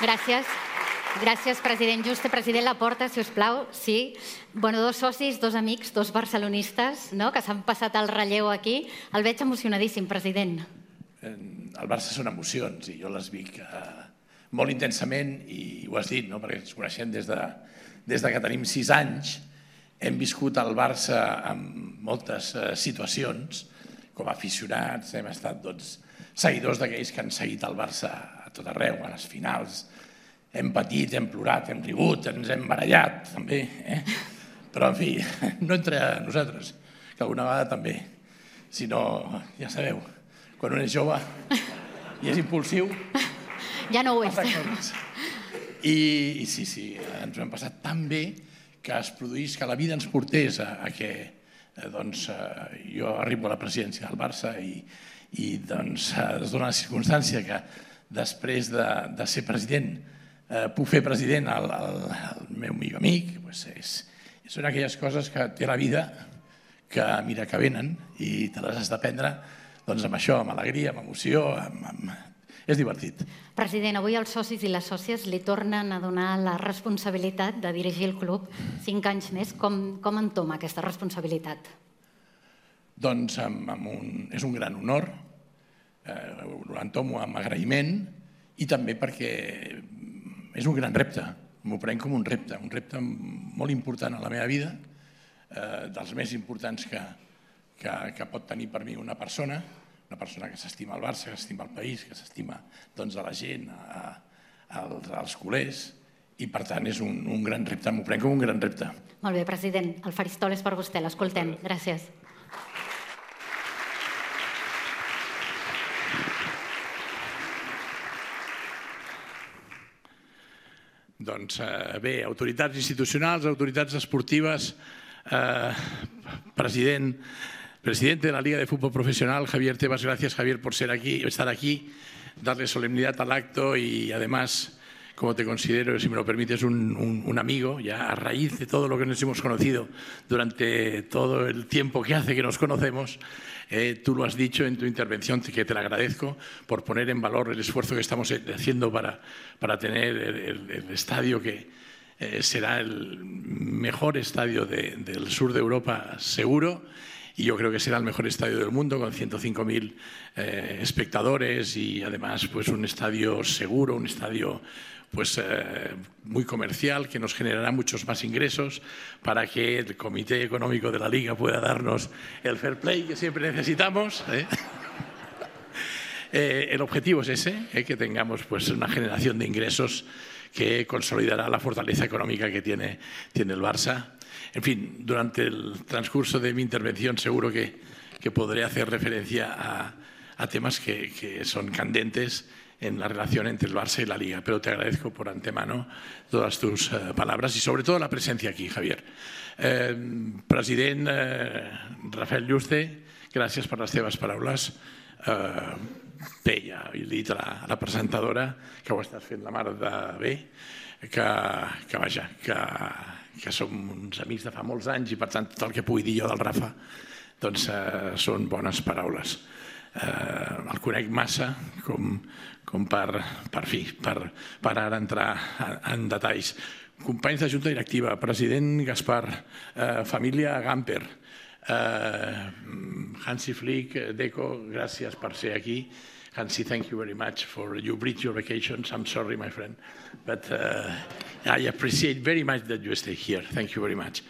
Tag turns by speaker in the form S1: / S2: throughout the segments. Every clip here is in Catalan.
S1: Gràcies. Gràcies, president Juste. President Laporta, si us plau. Sí. Dos socis, dos amics, dos barcelonistes, que s'han passat el relleu aquí. El veig emocionadíssim, president.
S2: El Barça són emocions i jo les vic molt intensament i ho has dit, perquè ens coneixem des que tenim 6 anys. Hem viscut el Barça en moltes situacions com a aficionats, hem estat seguidors d'aquells que han seguit el Barça a tot arreu, a les finals. Hem patit, hem plorat, hem rigut, ens hem barallat, també. Però, en fi, no entre nosaltres, que alguna vegada també. Si no, ja sabeu, quan un és jove i és impulsiu...
S1: Ja no ho és.
S2: I sí, ens ho hem passat tan bé que es produís, que la vida ens portés a que jo arribo a la presidència del Barça i es dona la circumstància que després de ser president puc fer president el meu millor amic. Són aquelles coses que té la vida que mira que venen i te les has de prendre amb això, amb alegria, amb emoció. És divertit.
S1: President, avui els socis i les sòcies li tornen a donar la responsabilitat de dirigir el club 5 anys més. Com entoma aquesta responsabilitat?
S2: Doncs és un gran honor, l'entomo amb agraïment i també perquè és un gran repte, m'ho prenc com un repte molt important a la meva vida, dels més importants que pot tenir per mi una persona que s'estima el Barça, que s'estima el país, que s'estima la gent, els culers, i per tant és un gran repte, m'ho prenc com un gran repte.
S1: Molt bé, president, el faristol és per vostè, l'escoltem. Gràcies.
S2: Doncs bé, autoritats institucionals, autoritats esportives, presidente de la Liga de Fútbol Profesional, Javier Tebas, gracias Javier por estar aquí, darle solemnidad al acto y además, como te considero, si me lo permites, un amigo, ya a raíz de todo lo que nos hemos conocido durante todo el tiempo que hace que nos conocemos. Tú lo has dicho en tu intervención, que te lo agradezco, por poner en valor el esfuerzo que estamos haciendo para tener el estadio que será el mejor estadio del sur de Europa, seguro, y yo creo que será el mejor estadio del mundo, con 105.000 espectadores y además un estadio seguro, un estadio muy comercial, que nos generará muchos más ingresos para que el Comité Económico de la Liga pueda darnos el fair play que siempre necesitamos. El objetivo es ese, que tengamos una generación de ingresos que consolidará la fortaleza económica que tiene el Barça. En fin, durante el transcurso de mi intervención seguro que podré hacer referencia a temas que son candentes en la relación entre el Barça y la Liga, pero te agradezco por antemano todas tus palabras y sobre todo la presencia aquí, Javier. President Rafael Juste, gràcies per les teves paraules. Bé, ja he dit a la presentadora que ho estàs fent la mar de bé, que som uns amics de fa molts anys i per tant tot el que pugui dir jo del Rafa són bones paraules. El conec massa com per ara entrar en detalls. Companys de Junta Directiva, president Gaspar, família Gamper, Hansi Flick, Deco, gràcies per ser aquí. Hansi, thank you very much for you bridge your vacations. I'm sorry, my friend, but I appreciate very much that you stay here. Thank you very much.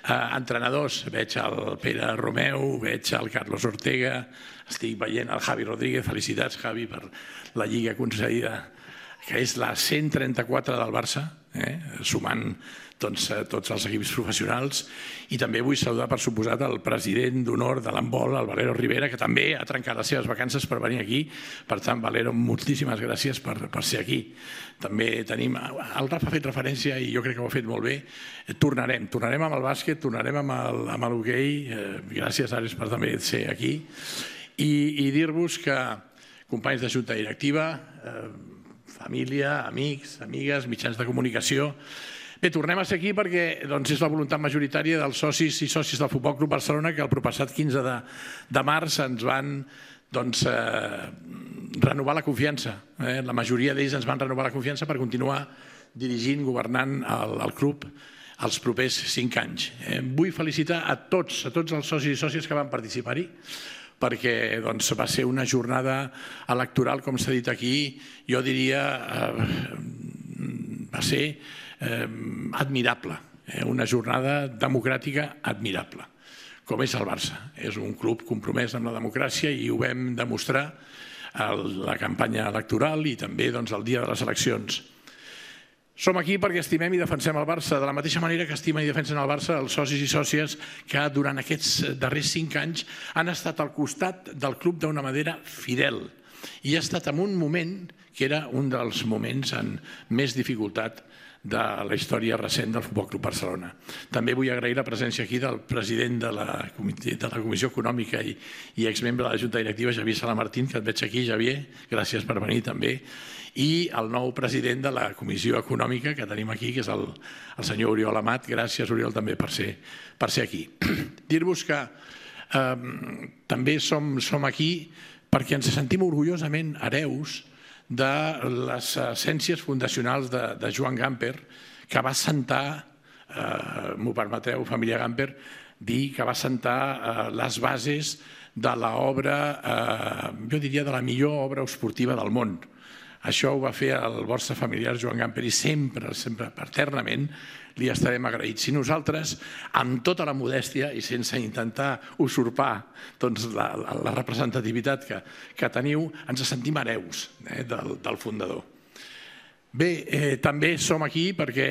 S2: Entrenadors, veig el Pere Romeu, veig el Carlos Ortega, estic veient el Javi Rodríguez. Felicitats, Javi, per la lliga concedida, que és la 134 del Barça, sumant tots els equips professionals. I també vull saludar, per suposat, el president d'honor de l'handbol, el Valero Rivera, que també ha trencat les seves vacances per venir aquí. Per tant, Valero, moltíssimes gràcies per ser aquí. També tenim... El Rafa ha fet referència, i jo crec que ho ha fet molt bé. Tornarem amb el bàsquet, tornarem amb l'hoquei. Gràcies, Ares, per també ser aquí. I dir-vos que, companys de Junta Directiva, família, amics, amigues, mitjans de comunicació, bé, tornem a ser aquí perquè és la voluntat majoritària dels socis i sòcies del Futbol Club Barcelona, que el proppassat 15 de març ens van renovar la confiança. La majoria d'ells ens van renovar la confiança per continuar dirigint, governant el club els propers 5 anys. Vull felicitar a tots els socis i sòcies que van participar-hi, perquè va ser una jornada electoral, com s'ha dit aquí, jo diria, va ser admirable, una jornada democràtica admirable, com és el Barça. És un club compromès amb la democràcia i ho vam demostrar a la campanya electoral i també el dia de les eleccions. Som aquí perquè estimem i defensem el Barça, de la mateixa manera que estimen i defensen el Barça els socis i sòcies que durant aquests darrers 5 anys han estat al costat del club d'una manera fidel i ha estat en un moment que era un dels moments amb més dificultat de la història recent del Futbol Club Barcelona. També vull agrair la presència aquí del president de la Comissió Econòmica i exmembre de la Junta Directiva, Javier Salamartín, que et veig aquí, Javier, gràcies per venir també, i el nou president de la Comissió Econòmica que tenim aquí, que és el senyor Oriol Amat. Gràcies, Oriol, també per ser aquí. Dir-vos que també som aquí perquè ens sentim orgullosament hereus de les essències fundacionals de Joan Gamper, que va assentar, m'ho permetreu, família Gamper, dir que va assentar les bases de l'obra, jo diria, de la millor obra esportiva del món. Això ho va fer el vostre familiar Joan Gamper i sempre, eternament, li estarem agraïts. I nosaltres, amb tota la modèstia i sense intentar usurpar la representativitat que teniu, ens sentim hereus del fundador. Bé, també som aquí perquè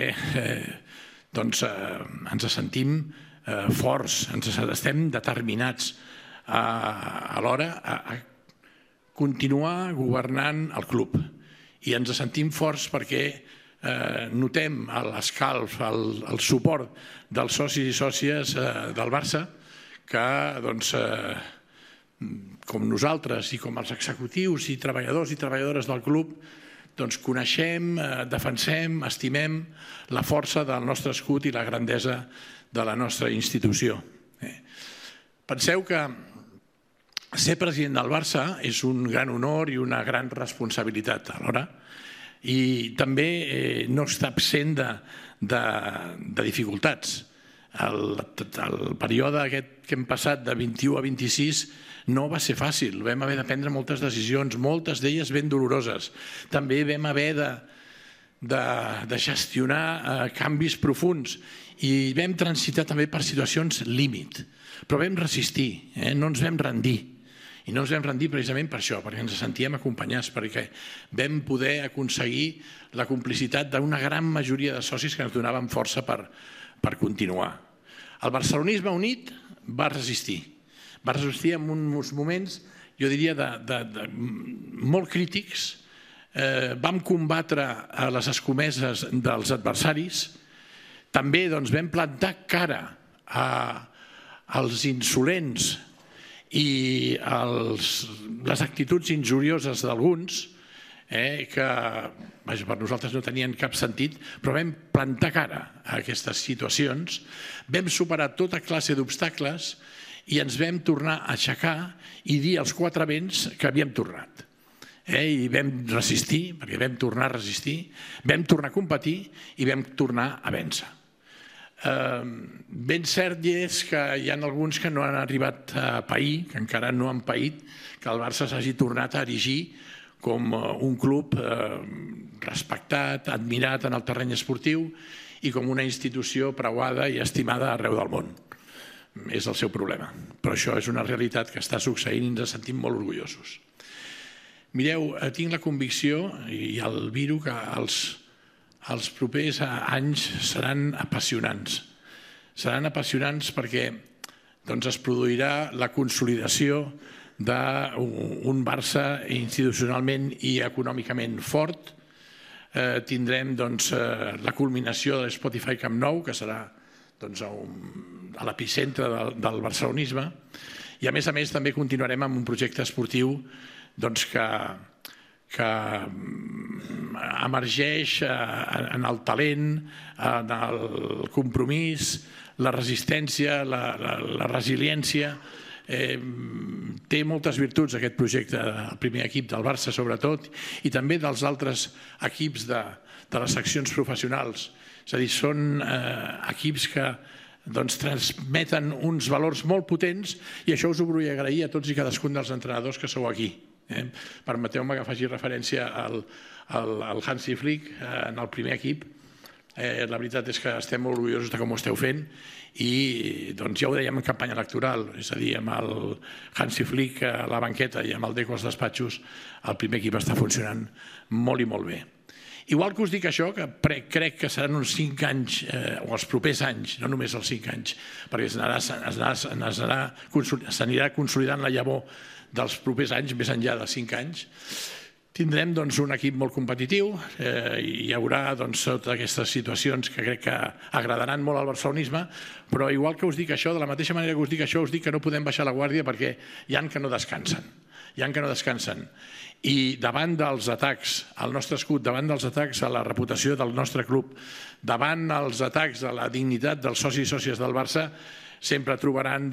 S2: ens sentim forts, estem determinats alhora a continuar governant el club. I ens sentim forts perquè notem l'escalf, el suport dels socis i sòcies del Barça que, com nosaltres i com els executius i treballadors i treballadores del club, coneixem, defensem, estimem la força del nostre escut i la grandesa de la nostra institució. Penseu que ser president del Barça és un gran honor i una gran responsabilitat alhora i també no està absent de dificultats. El període aquest que hem passat de 21 a 26 no va ser fàcil, vam haver de prendre moltes decisions, moltes d'elles ben doloroses. També vam haver de gestionar canvis profunds i vam transitar també per situacions límit, però vam resistir, no ens vam rendir. I no ens vam rendir precisament per això, perquè ens sentíem acompanyats, perquè vam poder aconseguir la complicitat d'una gran majoria de socis que ens donaven força per continuar. El barcelonisme unit va resistir en uns moments, jo diria, molt crítics. Vam combatre les escomeses dels adversaris, també vam plantar cara als insolents i les actituds injurioses d'alguns, que per nosaltres no tenien cap sentit, però vam plantar cara a aquestes situacions, vam superar tota classe d'obstacles i ens vam tornar a aixecar i dir als 4 vents que havíem tornat. I vam resistir, perquè vam tornar a resistir, vam tornar a competir i vam tornar a vèncer. Ben cert és que hi ha alguns que no han arribat a pair, que encara no han paït, que el Barça s'hagi tornat a erigir com un club respectat, admirat en el terreny esportiu i com una institució preuada i estimada arreu del món. És el seu problema, però això és una realitat que està succeint i ens sentim molt orgullosos. Mireu, tinc la convicció i el viro que els propers anys seran apassionants. Seran apassionants perquè es produirà la consolidació d'un Barça institucionalment i econòmicament fort. Tindrem la culminació de l'Spotify Camp Nou, que serà a l'epicentre del barcelonisme. I a més també continuarem amb un projecte esportiu que emergeix en el talent, en el compromís, la resistència, la resiliència. té moltes virtuts aquest projecte, el primer equip del Barça sobretot, i també dels altres equips de les seccions professionals. És a dir, són equips que transmeten uns valors molt potents i això us ho vull agrair a tots i cadascun dels entrenadors que sou aquí. Permeteu-me que faci referència al Hansi Flick en el primer equip. La veritat és que estem molt orgullosos de com ho esteu fent i ja ho dèiem en campanya electoral, és a dir, amb el Hansi Flick a la banqueta i amb el Deco als despatxos, el primer equip està funcionant molt i molt bé. Igual que us dic això, que crec que seran uns 5 anys, o els propers anys, no només els 5 anys, perquè s'anirà consolidant la llavor dels propers anys, més enllà de 5 anys, tindrem un equip molt competitiu, hi haurà totes aquestes situacions que crec que agradaran molt al barcelonisme, però igual que us dic això, de la mateixa manera que us dic això, us dic que no podem baixar la guàrdia perquè hi ha que no descansen. I davant dels atacs al nostre escut, davant dels atacs a la reputació del nostre club, davant els atacs a la dignitat dels socis i sòcies del Barça, sempre trobaran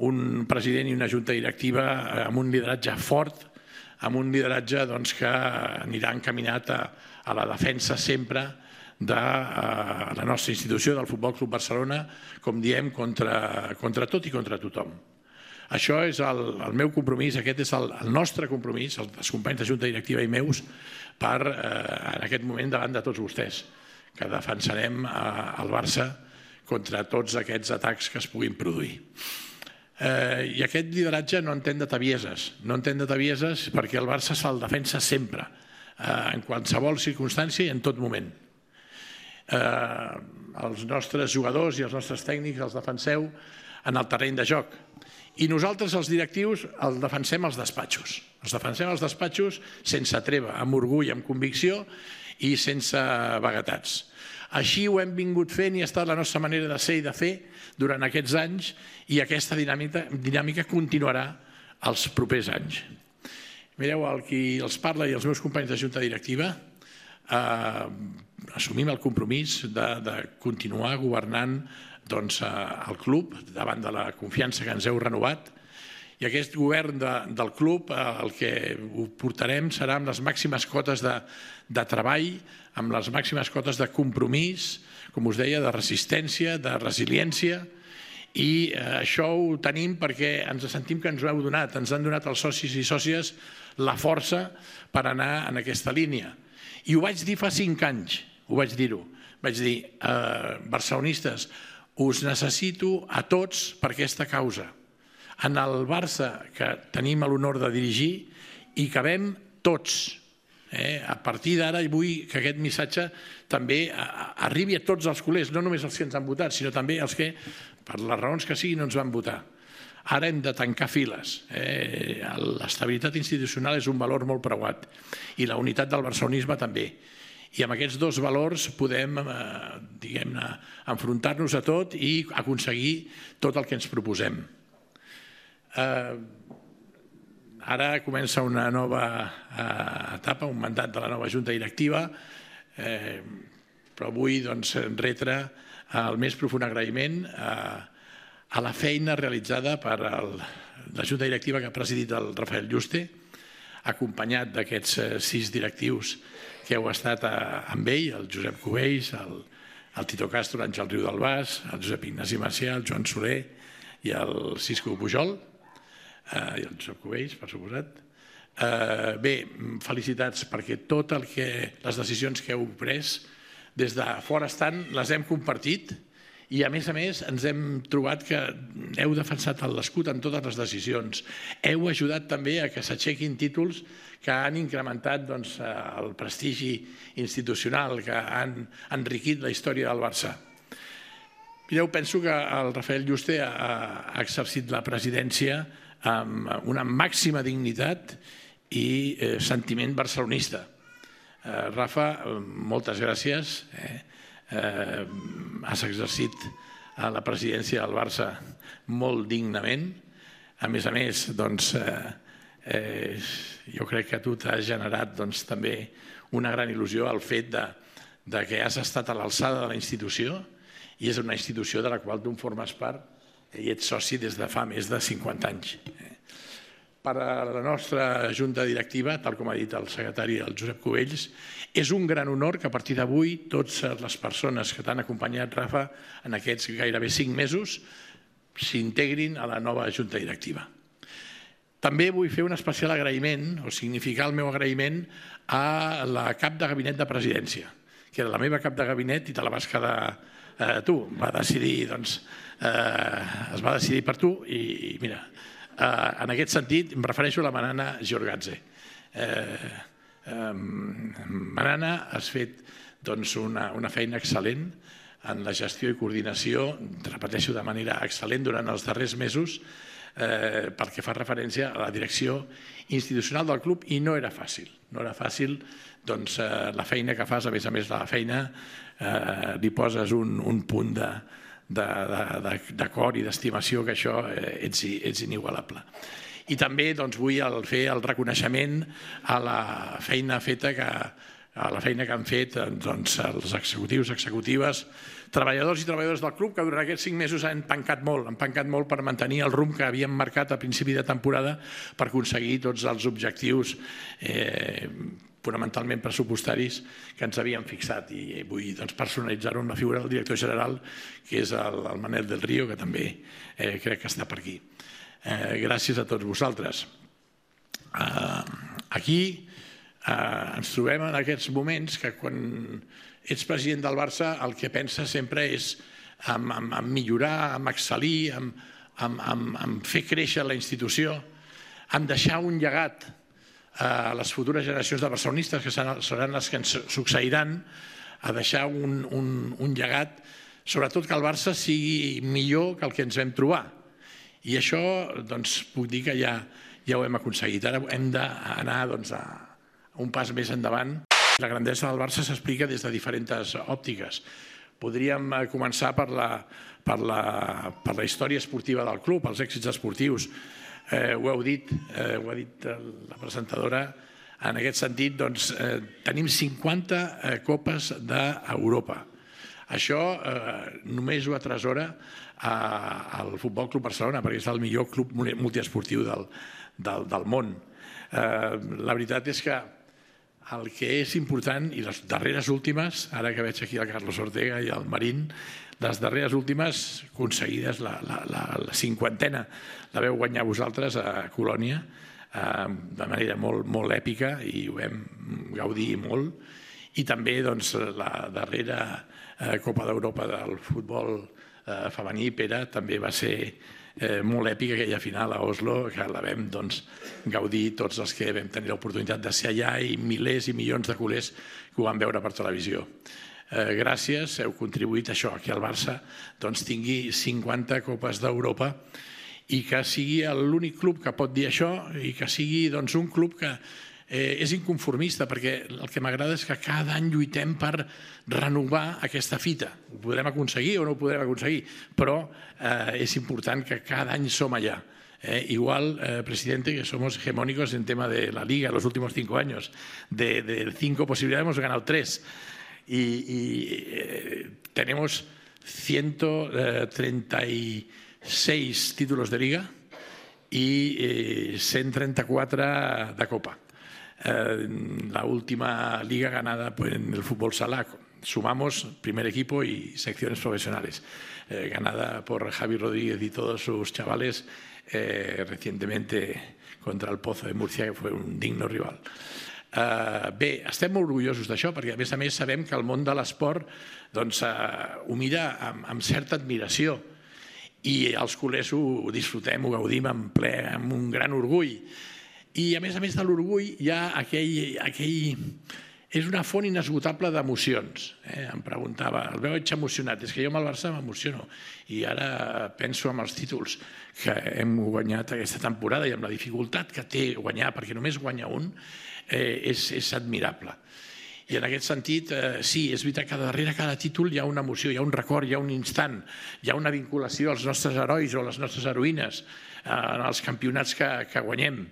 S2: un president i una junta directiva amb un lideratge fort, amb un lideratge que anirà encaminat a la defensa sempre de la nostra institució, del Futbol Club Barcelona, com diem, contra tot i contra tothom. Això és el meu compromís, aquest és el nostre compromís, els companys de junta directiva i meus, en aquest moment davant de tots vostès, que defensarem el Barça contra tots aquests atacs que es puguin produir. I aquest lideratge no entén de travieses perquè el Barça se'l defensa sempre, en qualsevol circumstància i en tot moment. Els nostres jugadors i els nostres tècnics els defenseu en el terreny de joc i nosaltres, els directius, els defensem als despatxos. Els defensem als despatxos sense treva, amb orgull, amb convicció i sense vaguetats. Així ho hem vingut fent i ha estat la nostra manera de ser i de fer durant aquests anys i aquesta dinàmica continuarà els propers anys. Mireu, el qui els parla i els meus companys de junta directiva assumim el compromís de continuar governant el club davant de la confiança que ens heu renovat i aquest govern del club el que ho portarem serà amb les màximes cotes de treball, amb les màximes cotes de compromís, com us deia, de resistència, de resiliència i això ho tenim perquè ens sentim que ens ho heu donat, ens han donat els socis i sòcies la força per anar en aquesta línia. I ho vaig dir fa 5 anys, vaig dir, barcelonistes, us necessito a tots per aquesta causa. En el Barça, que tenim l'honor de dirigir, hi cabem tots. A partir d'ara vull que aquest missatge també arribi a tots els culers, no només els que ens han votat, sinó també els que, per les raons que siguin, no ens van votar. Ara hem de tancar files. L'estabilitat institucional és un valor molt preuat i la unitat del barcelonisme també. I amb aquests dos valors podem, diguem-ne, enfrontar-nos a tot i aconseguir tot el que ens proposem. Ara comença una nova etapa, un mandat de la nova junta directiva, però vull retre el més profund agraïment a la feina realitzada per la junta directiva que ha presidit el Rafael Yuste, acompanyat d'aquests 6 directius que heu estat amb ell, el Josep Cubells, el Tito Castro, l'Àngel Riu del Bas, el Josep Ignasi Macià, el Joan Soler i el Cisco Pujol, i el Josep Cubells, per suposat. Bé, felicitats perquè les decisions que heu pres des de fora estant les hem compartit i a més ens hem trobat que heu defensat l'escut en totes les decisions. Heu ajudat també a que s'aixequin títols que han incrementat el prestigi institucional, que han enriquit la història del Barça. Mireu, penso que el Rafael Yuste ha exercit la presidència amb una màxima dignitat i sentiment barcelonista. Rafa, moltes gràcies. Has exercit la presidència del Barça molt dignament. A més, jo crec que a tu t'ha generat també una gran il·lusió el fet que has estat a l'alçada de la institució i és una institució de la qual tu en formes part i ets soci des de fa més de 50 anys. per a la nostra junta directiva, tal com ha dit el secretari, el Josep Cubells. És un gran honor que a partir d'avui totes les persones que t'han acompanyat, Rafa, en aquests gairebé 5 mesos, s'integrin a la nova junta directiva. També vull fer un especial agraïment, o significar el meu agraïment, a la cap de gabinet de presidència, que era la meva cap de gabinet i te la vas quedar tu. Va decidir, doncs, es va decidir per tu i mira, en aquest sentit em refereixo a la Manana Giorgatze. Manana, has fet una feina excel·lent en la gestió i coordinació, repeteixo, de manera excel·lent durant els darrers mesos pel que fa referència a la direcció institucional del club, i no era fàcil. No era fàcil la feina que fas, a més de la feina, li poses un punt d'acord i d'estimació, que això ets inigualable. I també vull fer el reconeixement a la feina feta que han fet els executius, executives, treballadors i treballadores del club, que durant aquests 5 mesos han pancat molt per mantenir el rumb que havíem marcat a principi de temporada per aconseguir tots els objectius fonamentalment pressupostaris que ens havíem fixat. I vull personalitzar-ho amb la figura del director general, que és el Manel del Río, que també crec que està per aquí. Gràcies a tots vosaltres. Aquí ens trobem en aquests moments que quan ets president del Barça el que penses sempre és en millorar, en excel·lir, en fer créixer la institució, en deixar un llegat a les futures generacions de barcelonistes, que seran les que ens succeiran, a deixar un llegat, sobretot que el Barça sigui millor que el que ens vam trobar. I això puc dir que ja ho hem aconseguit. Ara hem d'anar a un pas més endavant. La grandesa del Barça s'explica des de diferents òptiques. Podríem començar per la història esportiva del club, els èxits esportius. Ho ha dit la presentadora. En aquest sentit, tenim 50 copes d'Europa. Això només ho atresora el Futbol Club Barcelona, perquè és el millor club multiesportiu del món. La veritat és que el que és important, i les darreres últimes, ara que veig aquí el Carlos Ortega i el Marín, les darreres últimes aconseguides, la 50a, la veu guanyar vosaltres a Colònia de manera molt èpica i ho vam gaudir molt. I també la darrera Copa d'Europa del futbol femení, Pere, també va ser molt èpica, aquella final a Oslo, que la vam gaudir tots els que vam tenir l'oportunitat de ser allà i milers i milions de culers que ho van veure per televisió. Gràcies, heu contribuït a això, que el Barça tingui 50 copes d'Europa i que sigui l'únic club que pot dir això i que sigui un club que és inconformista, perquè el que m'agrada és que cada any lluitem per renovar aquesta fita. Ho podrem aconseguir o no ho podrem aconseguir, però és important que cada any som allà. Igual, presidente, que somos hegemónicos en tema de la Liga los últimos 5 años. De 5 posibilidades hemos ganado 3. Y tenemos 136 títulos de Liga y 134 de Copa. La última liga ganada en el fútbol sala, sumamos primer equipo y secciones profesionales, ganada por Javi Rodríguez y todos sus chavales recientemente contra el Pozo de Murcia, que fue un digno rival. Bé, estem molt orgullosos d'això perquè a més sabem que el món de l'esport ho mira amb certa admiració i els culers ho disfrutem, ho gaudim en ple, amb un gran orgull. I a més de l'orgull hi ha aquell... És una font inesgotable d'emocions. Em preguntava, el veig emocionat, és que jo amb el Barça m'emociono. I ara penso en els títols que hem guanyat aquesta temporada i amb la dificultat que té guanyar, perquè només guanya un, és admirable. I en aquest sentit, sí, és veritat que darrere cada títol hi ha una emoció, hi ha un record, hi ha un instant, hi ha una vinculació als nostres herois o a les nostres heroïnes, en els campionats que guanyem.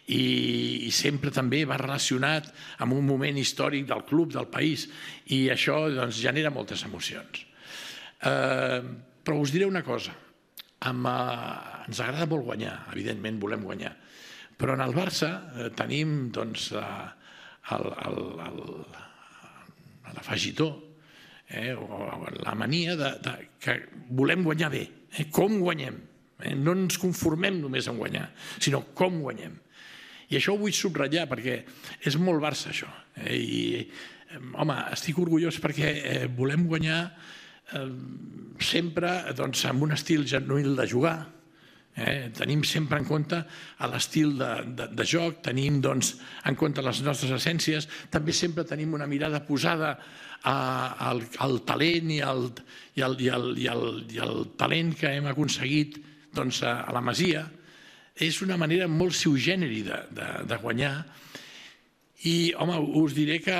S2: I sempre també va relacionat amb un moment històric del club, del país, i això genera moltes emocions. Però us diré una cosa, ens agrada molt guanyar, evidentment volem guanyar, Però en el Barça tenim l'afegitó, o la mania que volem guanyar bé. Com guanyem? No ens conformem només en guanyar, sinó com guanyem. I això ho vull subratllar perquè és molt Barça, això. I, home, estic orgullós perquè volem guanyar sempre amb un estil genuïl de jugar. Tenim sempre en compte l'estil de joc, tenim en compte les nostres essències, també sempre tenim una mirada posada al talent i al talent que hem aconseguit a la Masia. És una manera molt sui generis de guanyar i, home, us diré que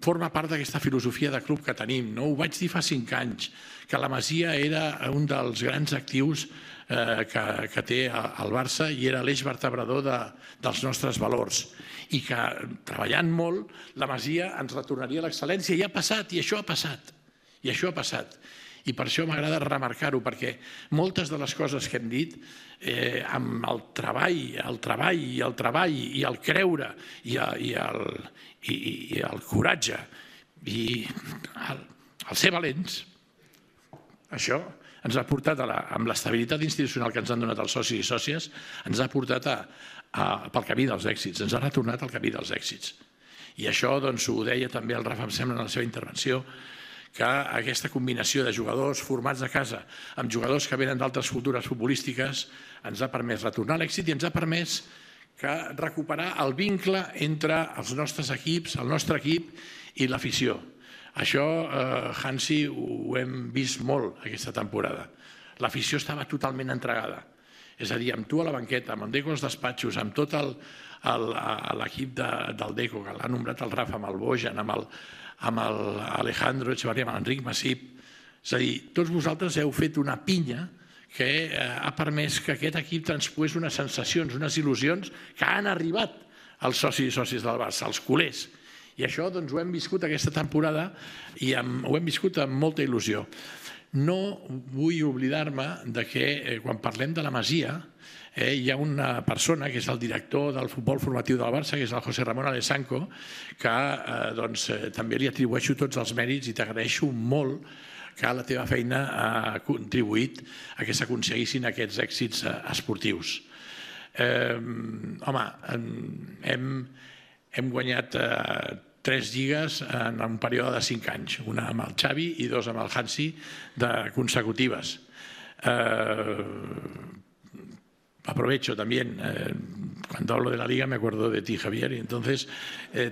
S2: forma part d'aquesta filosofia de club que tenim. Ho vaig dir fa 5 anys, que la Masia era un dels grans actius que té el Barça i era l'eix vertebrador dels nostres valors i que, treballant molt, la Masia ens retornaria a l'excel·lència. I ha passat, i això ha passat. I això ha passat. I per això m'agrada remarcar-ho, perquè moltes de les coses que hem dit, amb el treball i el creure i el coratge i el ser valents, això ens ha portat, amb l'estabilitat institucional que ens han donat els socis i sòcies, ens ha portat pel camí dels èxits, ens ha retornat al camí dels èxits. I això ho deia també el Rafa, em sembla, en la seva intervenció, que aquesta combinació de jugadors formats a casa amb jugadors que venen d'altres cultures futbolístiques ens ha permès retornar a l'èxit i ens ha permès recuperar el vincle entre els nostres equips, el nostre equip i l'afició. Això, Hansi, ho hem vist molt aquesta temporada. L'afició estava totalment entregada. És a dir, amb tu a la banqueta, amb el Deco als despatxos, amb tot l'equip del Deco, que l'ha nombrat el Rafa, amb el Bojan, amb l'Alejandro Echevarría, amb l'Enric Masip. És a dir, tots vosaltres heu fet una pinya que ha permès que aquest equip transpoés unes sensacions, unes il·lusions que han arribat als socis i sòcies del Barça, als culers. I això ho hem viscut aquesta temporada i ho hem viscut amb molta il·lusió. No vull oblidar-me que quan parlem de la Masia hi ha una persona que és el director del futbol formatiu del Barça, que és el José Ramón Alessanco, que també li atribueixo tots els mèrits i t'agraeixo molt que la teva feina ha contribuït a que s'aconseguissin aquests èxits esportius. Home, hem guanyat 3 lligues en un període de 5 anys, una amb el Xavi i 2 amb el Hansi consecutives. Aprovecho también, cuando hablo de la Liga me acuerdo de ti, Javier, y entonces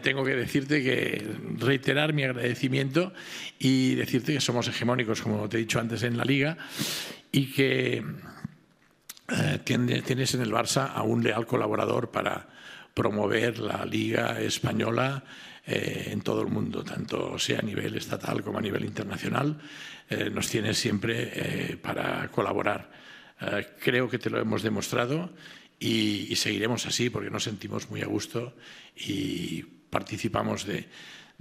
S2: tengo que decirte reiterar mi agradecimiento y decirte que somos hegemónicos, como te he dicho antes, en la Liga y que tienes en el Barça a un leal colaborador para promover la Liga Española en todo el mundo, tanto sea a nivel estatal como a nivel internacional. Nos tienes siempre para colaborar. Creo que te lo hemos demostrado y seguiremos así porque nos sentimos muy a gusto y participamos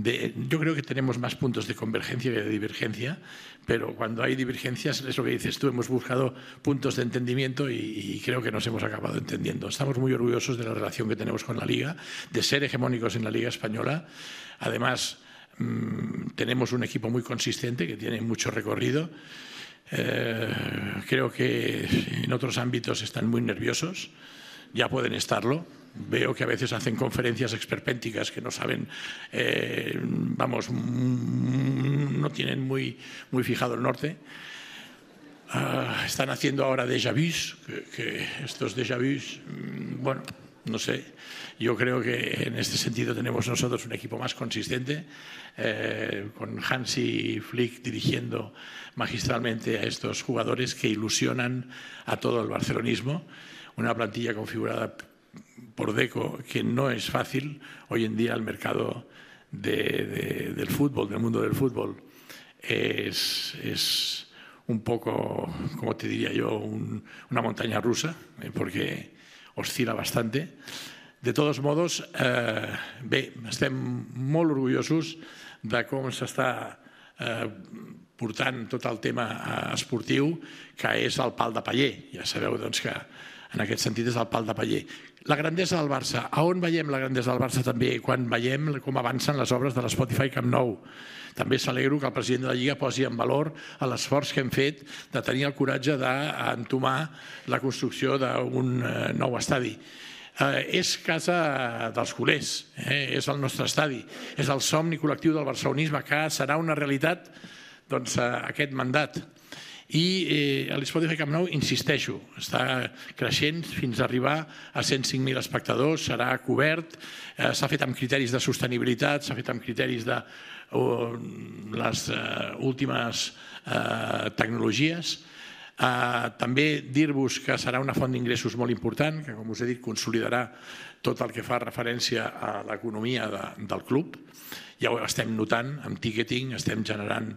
S2: yo creo que tenemos más puntos de convergencia que de divergencia, pero cuando hay divergencias, es lo que dices tú, hemos buscado puntos de entendimiento y creo que nos hemos acabado entendiendo. Estamos muy orgullosos de la relación que tenemos con la Liga, de ser hegemónicos en la Liga Española. Además, tenemos un equipo muy consistente que tiene mucho recorrido. Creo que en otros ámbitos están muy nerviosos, ya pueden estarlo. Veo que a veces hacen conferencias esperpénticas que no saben, no tienen muy fijado el norte. Están haciendo ahora déjà vus, que estos déjà vus, bueno, no sé, yo creo que en este sentido tenemos nosotros un equipo más consistente, con Hansi Flick dirigiendo magistralmente a estos jugadores que ilusionan a todo el barcelonismo, una plantilla configurada por Deco que no es fácil. Hoy en día el mercado del fútbol, del mundo del fútbol, es un poco, como te diría yo, una montaña rusa, porque oscil·la bastante. De todos modos, bé, estem molt orgullosos de com s'està portant tot el tema esportiu, que és el pal de paller. Ja sabeu que En aquest sentit és el pal de paller. La grandesa del Barça. A on veiem la grandesa del Barça també? Quan veiem com avancen les obres de l'Spotify Camp Nou. També s'alegro que el president de la Lliga posi en valor l'esforç que hem fet de tenir el coratge d'entomar la construcció d'un nou estadi. És casa dels culers, és el nostre estadi, és el somni col·lectiu del barcelonisme, que serà una realitat aquest mandat. I l'Spotify Camp Nou, insisteixo, està creixent fins a arribar a 105.000 espectadors, serà cobert, s'ha fet amb criteris de sostenibilitat, s'ha fet amb criteris de les últimes tecnologies. També dir-vos que serà una font d'ingressos molt important, que com us he dit consolidarà tot el que fa referència a l'economia del club. Ja ho estem notant, amb ticketing estem generant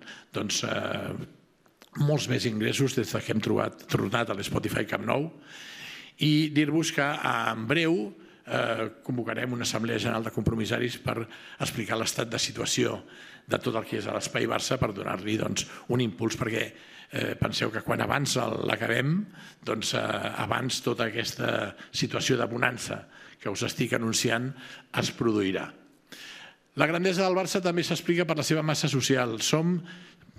S2: molts més ingressos des que hem tornat a l'Spotify Camp Nou, i dir-vos que en breu convocarem una assemblea general de compromissaris per explicar l'estat de situació de tot el que és a l'Espai Barça, per donar-li un impuls, perquè penseu que quan abans l'acabem, abans tota aquesta situació de bonança que us estic anunciant es produirà. La grandesa del Barça també s'explica per la seva massa social. Som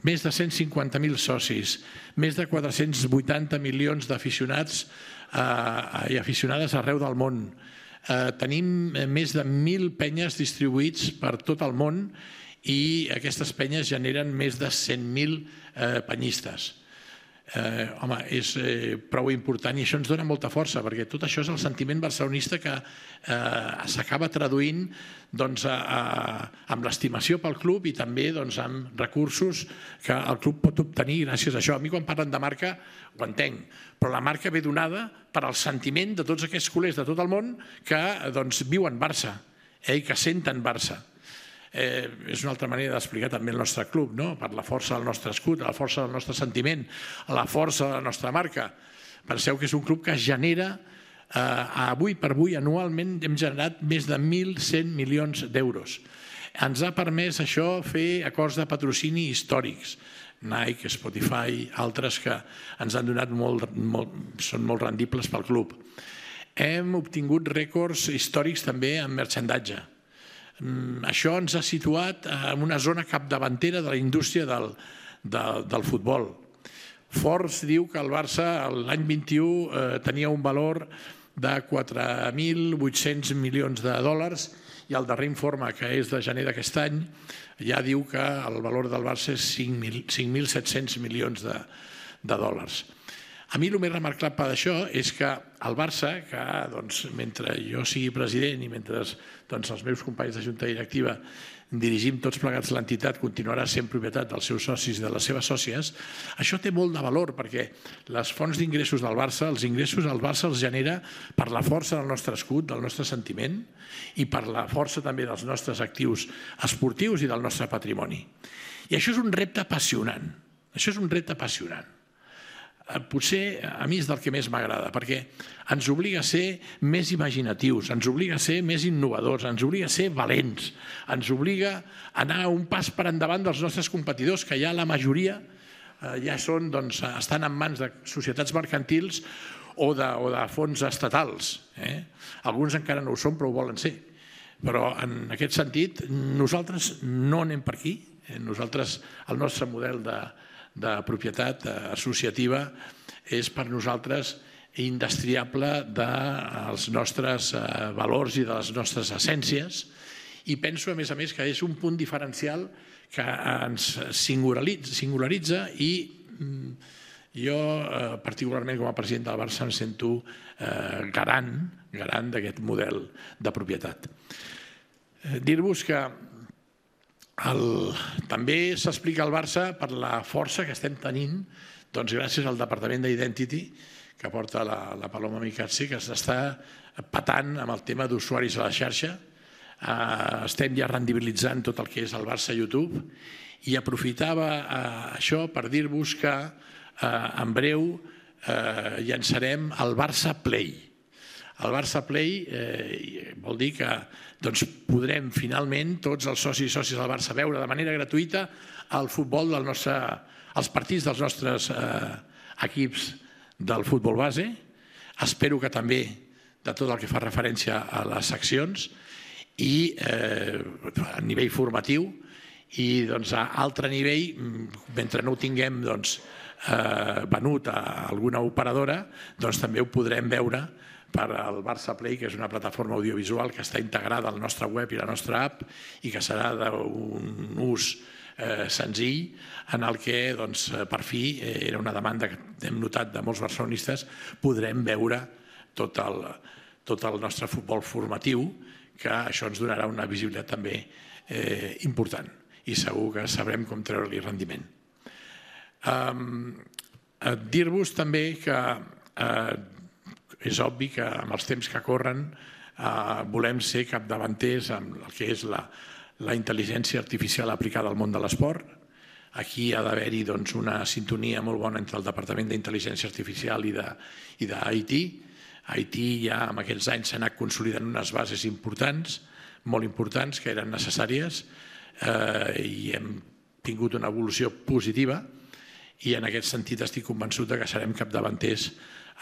S2: més de 150.000 socis, més de 480 milions d'aficionats i aficionades arreu del món. Tenim més de 1.000 penyes distribuïts per tot el món i aquestes penyes generen més de 100.000 penyistes. Home, és prou important i això ens dona molta força, perquè tot això és el sentiment barcelonista que s'acaba traduint amb l'estimació pel club i també amb recursos que el club pot obtenir gràcies a això. A mi quan parlen de marca ho entenc, però la marca ve donada per al sentiment de tots aquests culers de tot el món que viuen Barça i que senten Barça. És una altra manera d'explicar també el nostre club, per la força del nostre escut, la força del nostre sentiment, la força de la nostra marca. Penseu que és un club que genera, avui per avui, anualment hem generat més de 1.100 milions d'euros. Ens ha permès això fer acords de patrocini històrics. Nike, Spotify, altres que ens han donat són molt rendibles pel club. Hem obtingut rècords històrics també en merchandatge. Això ens ha situat en una zona capdavantera de la indústria del futbol. Forbes diu que el Barça l'any 21 tenia un valor de 4.800 milions de dòlars i el darrer informe, que és de gener d'aquest any, ja diu que el valor del Barça és 5.700 milions de dòlars. A mi el més remarcable d'això és que el Barça, que mentre jo sigui president i mentre els meus companys de junta directiva dirigim tots plegats l'entitat, continuarà sent propietat dels seus socis i de les seves sòcies, això té molt de valor perquè les fonts d'ingressos del Barça, els ingressos del Barça els genera per la força del nostre escut, del nostre sentiment i per la força també dels nostres actius esportius i del nostre patrimoni. I això és un repte apassionant. Això és un repte apassionant. Potser a mi és del que més m'agrada, perquè ens obliga a ser més imaginatius, ens obliga a ser més innovadors, ens obliga a ser valents, ens obliga a anar un pas per endavant dels nostres competidors, que ja la majoria ja estan en mans de societats mercantils o de fons estatals. Alguns encara no ho són, però ho volen ser. Però en aquest sentit, nosaltres no anem per aquí. Nosaltres, el nostre model de propietat associativa és per nosaltres indestriable dels nostres valors i de les nostres essències i penso a més que és un punt diferencial que ens singularitza i jo particularment com a president del Barça em sento garant d'aquest model de propietat. Dir-vos que també s'explica al Barça per la força que estem tenint gràcies al Departament d'Identity que porta la Paloma Micazzi, que s'està patant amb el tema d'usuaris a la xarxa. Estem ja rendibilitzant tot el que és el Barça YouTube i aprofitava això per dir-vos que en breu llançarem el Barça Play. El Barça Play vol dir que podrem finalment tots els socis i sòcies del Barça veure de manera gratuïta el futbol els partits dels nostres equips del futbol base, Espero que també de tot el que fa referència a les seccions i a nivell formatiu i a altre nivell, mentre no ho tinguem venut a alguna operadora, també ho podrem veure per al Barça Play, que és una plataforma audiovisual que està integrada al nostre web i la nostra app i que serà d'un ús senzill en el que, per fi, era una demanda que hem notat de molts barcelonistes, podrem veure tot el nostre futbol formatiu, que això ens donarà una visibilitat també important i segur que sabrem com treure-li rendiment. Dir-vos també que és obvi que amb els temps que corren volem ser capdavanters amb el que és la intel·ligència artificial aplicada al món de l'esport. Aquí ha d'haver-hi una sintonia molt bona entre el Departament d'Intel·ligència Artificial i d'IT. IT ja en aquests anys s'ha anat consolidant unes bases importants, molt importants, que eren necessàries i hem tingut una evolució positiva i en aquest sentit estic convençut que serem capdavanters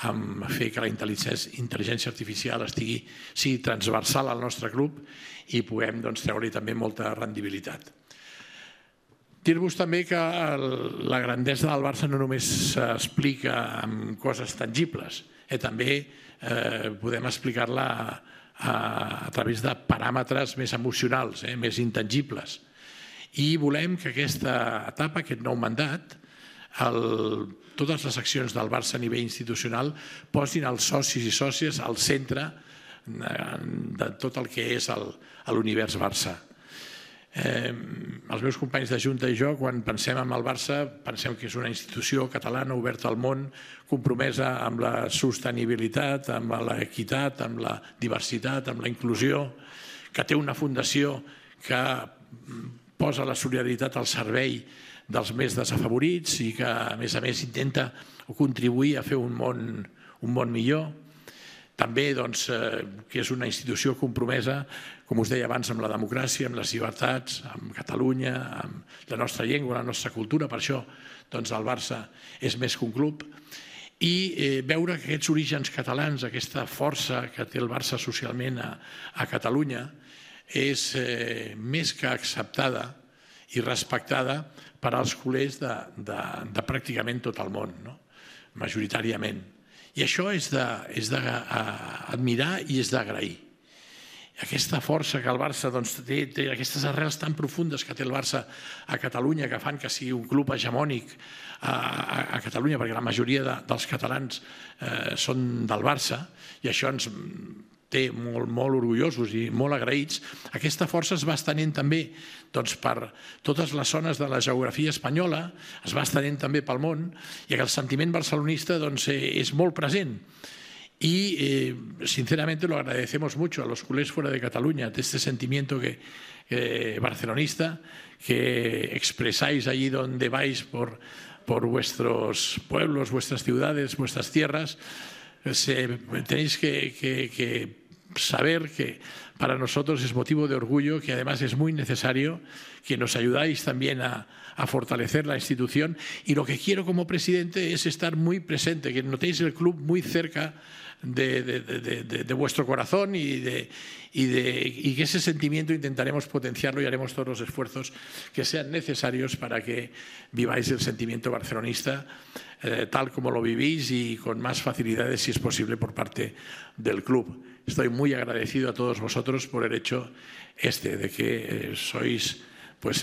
S2: en fer que la intel·ligència artificial sigui transversal al nostre club i puguem treure-hi també molta rendibilitat. Dir-vos també que la grandesa del Barça no només s'explica amb coses tangibles, també podem explicar-la a través de paràmetres més emocionals, més intangibles. I volem que aquesta etapa, aquest nou mandat, totes les accions del Barça a nivell institucional posin els socis i sòcies al centre de tot el que és l'univers Barça. Els meus companys de Junta i jo, quan pensem en el Barça, pensem que és una institució catalana oberta al món, compromesa amb la sostenibilitat, amb l'equitat, amb la diversitat, amb la inclusió, que té una fundació que posa la solidaritat al servei dels més desafavorits i que, a més, intenta contribuir a fer un món millor. També que és una institució compromesa, com us deia abans, amb la democràcia, amb les llibertats, amb Catalunya, amb la nostra llengua, la nostra cultura. Per això el Barça és més que un club. I veure que aquests orígens catalans, aquesta força que té el Barça socialment a Catalunya, és més que acceptada i respectada per als culers de pràcticament tot el món, majoritàriament. I això és d'admirar i és d'agrair. Aquesta força que el Barça té, aquestes arrels tan profundes que té el Barça a Catalunya, que fan que sigui un club hegemònic a Catalunya, perquè la majoria dels catalans són del Barça, i això ens té molt orgullosos i molt agraïts. Aquesta força es va estenent també per totes les zones de la geografia espanyola, es va estenent també pel món, i que el sentiment barcelonista és molt present. Y sinceramente lo agradecemos mucho a los culés fuera de Cataluña, de este sentimiento barcelonista que expresáis allí donde vais por vuestros pueblos, vuestras ciudades, vuestras tierras. Tenéis que saber que para nosotros es motivo de orgullo, que además es muy necesario, que nos ayudáis también a fortalecer la institución, y lo que quiero como presidente es estar muy presente, que notéis el club muy cerca de vuestro corazón y que ese sentimiento intentaremos potenciarlo y haremos todos los esfuerzos que sean necesarios para que viváis el sentimiento barcelonista tal como lo vivís y con más facilidades, si es posible, por parte del club. Estoy muy agradecido a todos vosotros por el hecho de que sois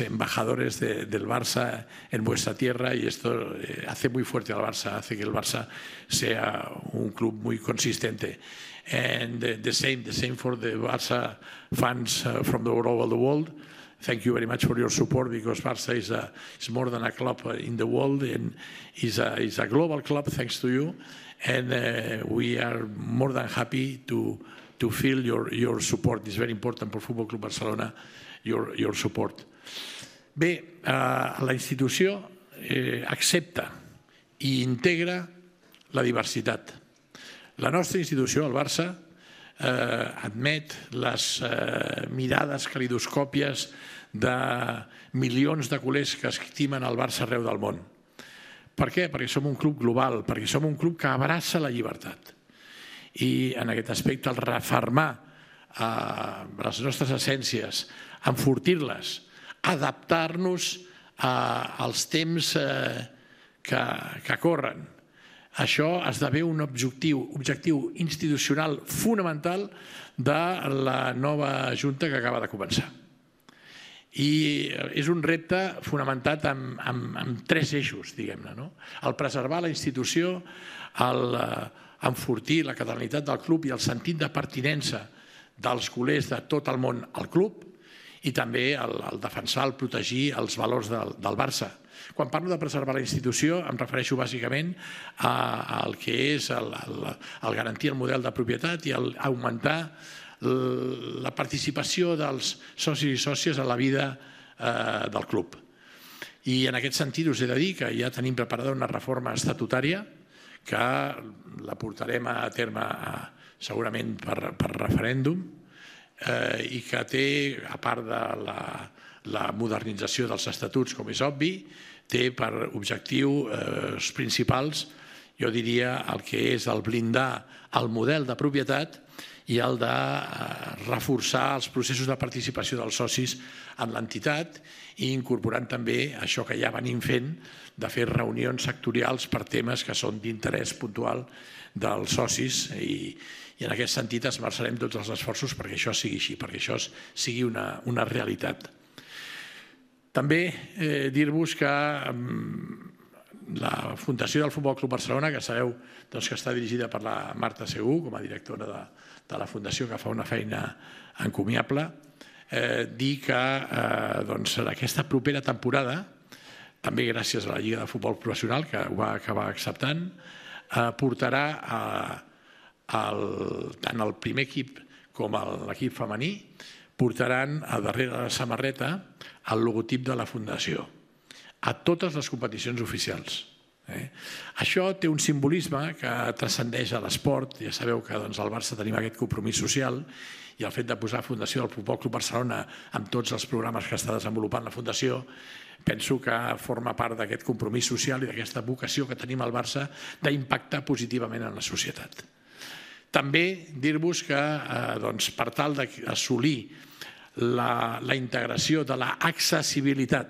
S2: embajadores del Barça en vuestra tierra, y esto hace muy fuerte al Barça, hace que el Barça sea un club muy consistente. And the same for the Barça fans from all over the world. Thank you very much for your support, because Barça is more than a club in the world, and is a global club thanks to you, and we are more than happy to feel your support. It's very important for Futbol Club Barcelona, your support. Bé, la institució accepta i integra la diversitat. La nostra institució, el Barça, admet les mirades calidoscòpies de milions de culers que estimen el Barça arreu del món. Per què? Perquè som un club global, perquè som un club que abraça la llibertat. i en aquest aspecte el refermar les nostres essències, enfortir-les, adaptar-nos als temps que corren. Això esdevé un objectiu institucional fonamental de la nova Junta que acaba de començar. I és un repte fonamentat en tres eixos, diguem-ne. El preservar la institució, enfortir la catalanitat del club i el sentit de pertinença dels culers de tot el món al club i també el defensar, el protegir els valors del Barça. Quan parlo de preservar la institució em refereixo bàsicament al que és el garantir el model de propietat i augmentar la participació dels socis i sòcies a la vida del club. I en aquest sentit us he de dir que ja tenim preparada una reforma estatutària que la portarem a terme segurament per referèndum i que té, a part de la modernització dels estatuts, com és obvi, té per objectius principals, jo diria, el que és el blindar el model de propietat i el de reforçar els processos de participació dels socis en l'entitat i incorporant també això que ja venim fent de fer reunions sectorials per temes que són d'interès puntual dels socis i en aquest sentit esmerçarem tots els esforços perquè això sigui així, perquè això sigui una realitat. També dir-vos que la Fundació del Futbol Club Barcelona, que sabeu que està dirigida per la Marta Segú com a directora de la Fundació, que fa una feina encomiable, dir que aquesta propera temporada, també gràcies a la Lliga de Futbol Professional, que ho va acabar acceptant, portarà tant el primer equip com l'equip femení, portaran a darrere de la samarreta el logotip de la Fundació a totes les competicions oficials. Això té un simbolisme que transcendeix a l'esport. Ja sabeu que al Barça tenim aquest compromís social i el fet de posar Fundació del Futbol Club Barcelona amb tots els programes que està desenvolupant la Fundació penso que forma part d'aquest compromís social i d'aquesta vocació que tenim al Barça d'impactar positivament en la societat. També dir-vos que per tal d'assolir la integració de l'accessibilitat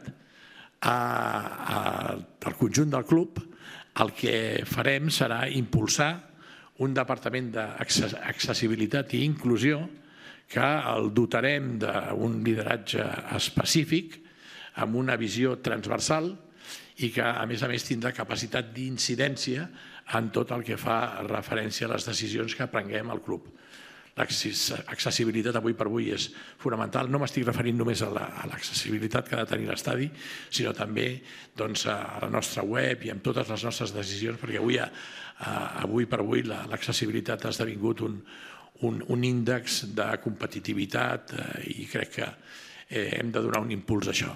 S2: al conjunt del club, el que farem serà impulsar un departament d'accessibilitat i inclusió que el dotarem d'un lideratge específic amb una visió transversal i que a més tindrà capacitat d'incidència en tot el que fa referència a les decisions que prenguem al club. L'accessibilitat avui per avui és fonamental. No m'estic referint només a l'accessibilitat que ha de tenir l'estadi, sinó també a la nostra web i amb totes les nostres decisions, perquè avui per avui l'accessibilitat ha esdevingut un índex de competitivitat i crec que hem de donar un impuls a això.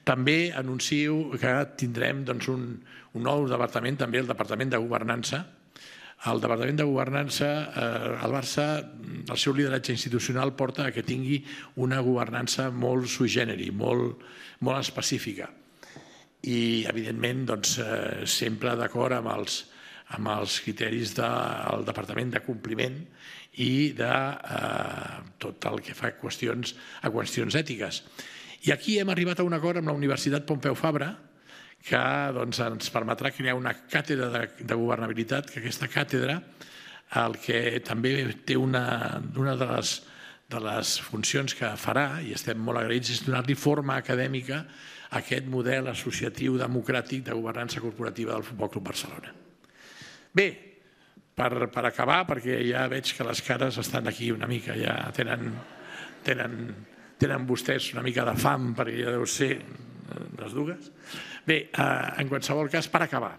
S2: També anuncio que tindrem un nou departament, també el Departament de Governança. El Departament de Governança, el Barça, el seu lideratge institucional porta que tingui una governança molt sui generis, molt específica. I, evidentment, sempre d'acord amb els criteris del Departament de Compliment i de tot el que fa a qüestions ètiques. I aquí hem arribat a un acord amb la Universitat Pompeu Fabra que ens permetrà crear una càtedra de governabilitat, que aquesta càtedra el que també té una de les funcions que farà, i estem molt agraïts, és donar-li forma acadèmica a aquest model associatiu democràtic de governança corporativa del Futbol Club Barcelona. Bé, per acabar, perquè ja veig que les cares estan aquí una mica, ja tenen vostès una mica de fam, perquè ja deu ser les dues. Bé, en qualsevol cas, per acabar,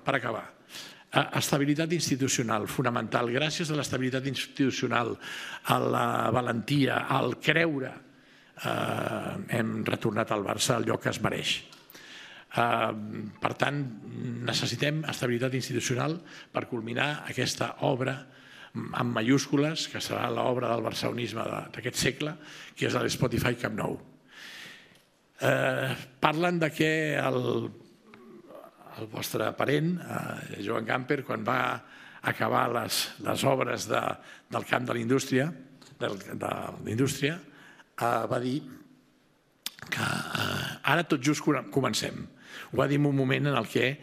S2: estabilitat institucional fonamental. Gràcies a l'estabilitat institucional, a la valentia, al creure, hem retornat al Barça al lloc que es mereix. Per tant, necessitem estabilitat institucional per culminar aquesta obra amb majúscules, que serà l'obra del barcelonisme d'aquest segle, que és l'Spotify Camp Nou. Parlen de que el vostre parent, Joan Gamper, quan va acabar les obres del camp de la indústria, va dir que ara tot just comencem. Ho va dir en un moment en què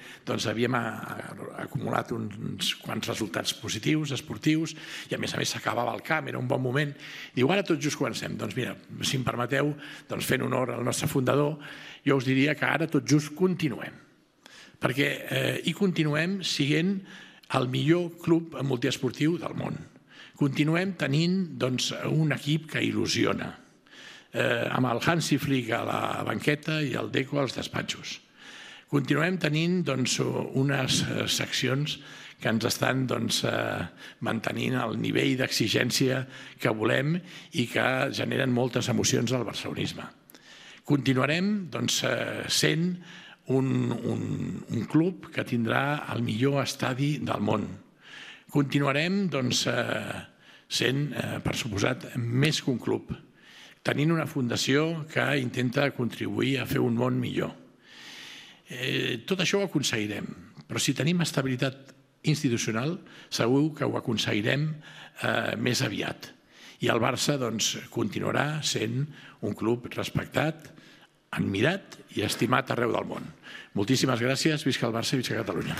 S2: havíem acumulat uns quants resultats positius, esportius, i a més s'acabava el camp, era un bon moment. Diu, ara tot just comencem. Doncs mira, si em permeteu, fent honor al nostre fundador, jo us diria que ara tot just continuem. Perquè hi continuem sent el millor club multiesportiu del món. Continuem tenint un equip que il·lusiona, amb el Hansi Flick a la banqueta i el Deco als despatxos. Continuem tenint unes seccions que ens estan mantenint el nivell d'exigència que volem i que generen moltes emocions al barcelonisme. Continuarem sent un club que tindrà el millor estadi del món. Continuarem sent, per suposat, més que un club, tenint una fundació que intenta contribuir a fer un món millor. Tot això ho aconseguirem, però si tenim estabilitat institucional segur que ho aconseguirem més aviat. I el Barça continuarà sent un club respectat, admirat i estimat arreu del món. Moltíssimes gràcies, visca el Barça i visca Catalunya.